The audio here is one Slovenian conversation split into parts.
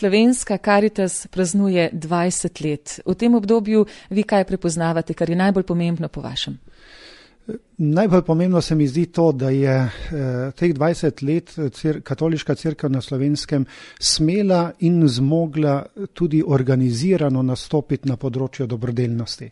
Slovenska Karitas praznuje 20 let. V tem obdobju vi kaj prepoznavate, kar je najbolj pomembno po vašem? Najbolj pomembno se mi zdi to, da je teh 20 let katoliška cerkev na Slovenskem smela in zmogla tudi organizirano nastopiti na področju dobrodelnosti.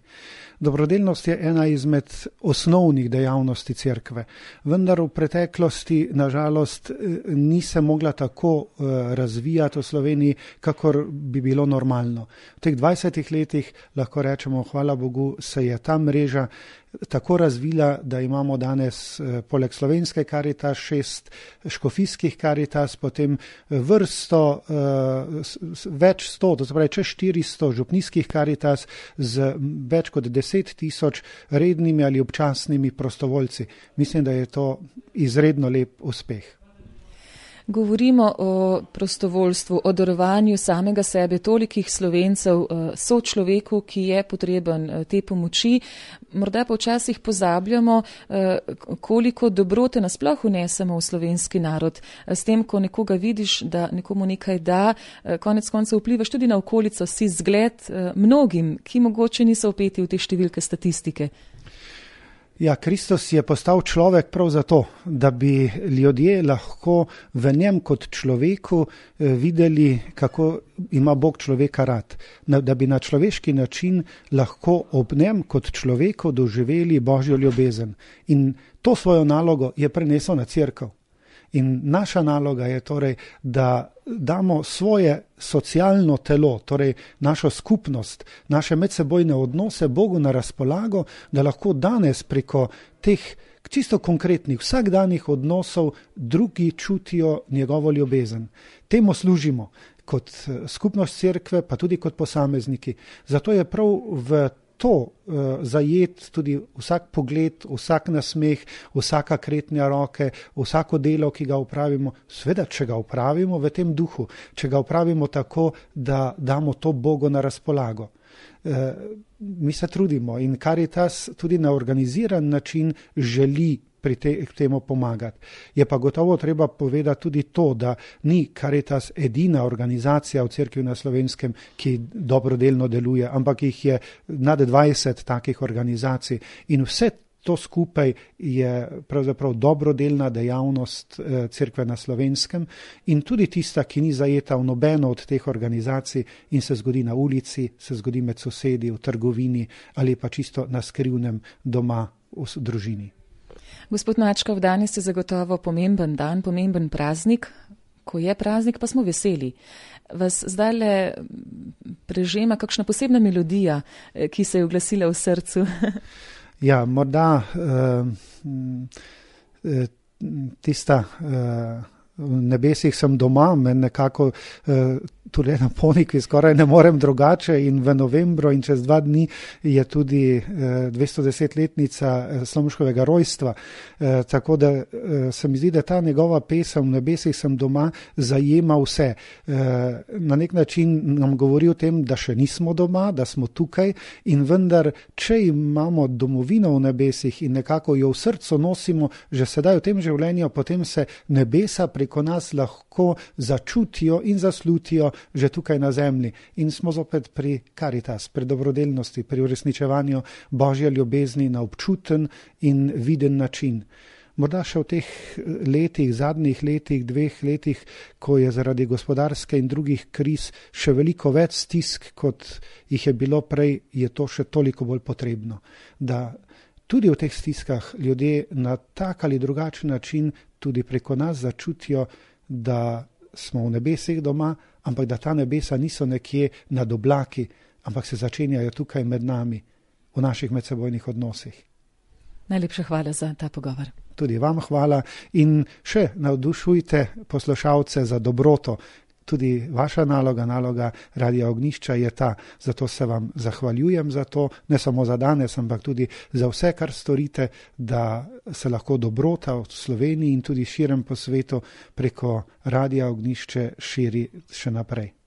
Dobrodelnost je ena izmed osnovnih dejavnosti cerkve, vendar v preteklosti nažalost ni se mogla tako razvijati v Sloveniji, kakor bi bilo normalno. V teh 20 letih lahko rečemo, hvala Bogu, se je ta mreža tako razvila, da imamo danes poleg slovenske Karitas 6 škofijskih Karitas, potem vrsto, več 100, to se pravi čez 400 župnijskih Karitas z več kot 10.000 rednimi ali občasnimi prostovoljci. Mislim, da je to izredno lep uspeh. Govorimo o prostovoljstvu, o darovanju samega sebe tolikih Slovencev, sočloveku, ki je potreben te pomoči. Morda pa včasih pozabljamo, koliko dobrote nasploh vnesemo v slovenski narod. S tem, ko nekoga vidiš, da nekomu nekaj da, konec koncev vplivaš tudi na okolico, si zgled mnogim, ki mogoče niso vpeti v te številke statistike. Ja, Kristus je postal človek prav zato, da bi ljudje lahko v njem kot človeku videli, kako ima Bog človeka rad. Da bi na človeški način lahko ob njem kot človeku doživeli Božjo ljubezen. In to svojo nalogo je prenesel na cerkev. In naša naloga je torej, da damo svoje socialno telo, torej našo skupnost, naše medsebojne odnose Bogu na razpolago, da lahko danes preko teh čisto konkretnih, vsakdanjih odnosov drugi čutijo njegovo ljubezen. Temu služimo kot skupnost cerkve, pa tudi kot posamezniki. Zato je prav v to zajet tudi vsak pogled, vsak nasmeh, vsaka kretnja roke, vsako delo, ki ga opravimo, seveda, če ga opravimo v tem duhu, če ga opravimo tako, da damo to Bogu na razpolago. Mi se trudimo in Karitas tudi na organiziran način želi k temu pomagati. Je pa gotovo treba povedati tudi to, da ni Karitas edina organizacija v cerkvi na Slovenskem, ki dobrodelno deluje, ampak jih je nad 20 takih organizacij in vse to skupaj je pravzaprav dobrodelna dejavnost cerkve na Slovenskem in tudi tista, ki ni zajeta v nobeno od teh organizacij in se zgodi na ulici, se zgodi med sosedi, v trgovini ali pa čisto na skrivnem doma v družini. Gospod Mačkov, danes je zagotovo pomemben dan, pomemben praznik. Ko je praznik, pa smo veseli. Vas zdajle prežema kakšna posebna melodija, ki se je oglasila v srcu? Ja, morda tista v nebesih sem doma, me nekako tudi na Ponikvi skoraj ne morem drugače in v novembru in čez 2 dni je tudi 210-letnica Slomškovega rojstva. Tako da se mi zdi, da ta njegova pesem v nebesih sem doma zajema vse. Na nek način nam govori o tem, da še nismo doma, da smo tukaj in vendar, če imamo domovino v nebesih in nekako jo v srcu nosimo že sedaj v tem življenju, potem se nebesa preko nas lahko začutijo in zaslutijo že tukaj na zemlji. In smo zopet pri Karitas, pri dobrodelnosti, pri uresničevanju Božje ljubezni na občuten in viden način. Morda še v teh letih, zadnjih letih, 2 letih, ko je zaradi gospodarske in drugih kriz še veliko več stisk, kot jih je bilo prej, je to še toliko bolj potrebno. Da tudi v teh stiskah ljudje na tak ali drugačen način tudi preko nas začutijo, da smo v nebesih doma, ampak da ta nebesa niso nekje nad oblaki, ampak se začenjajo tukaj med nami, v naših medsebojnih odnosih. Najlepša hvala za ta pogovor. Tudi vam hvala in še navdušujte poslušalce za dobroto. Tudi vaša naloga Radia Ognjišča je ta. Zato se vam zahvaljujem za to, ne samo za danes, ampak tudi za vse, kar storite, da se lahko dobrota v Sloveniji in tudi širem po svetu preko Radia Ognjišče širi še naprej.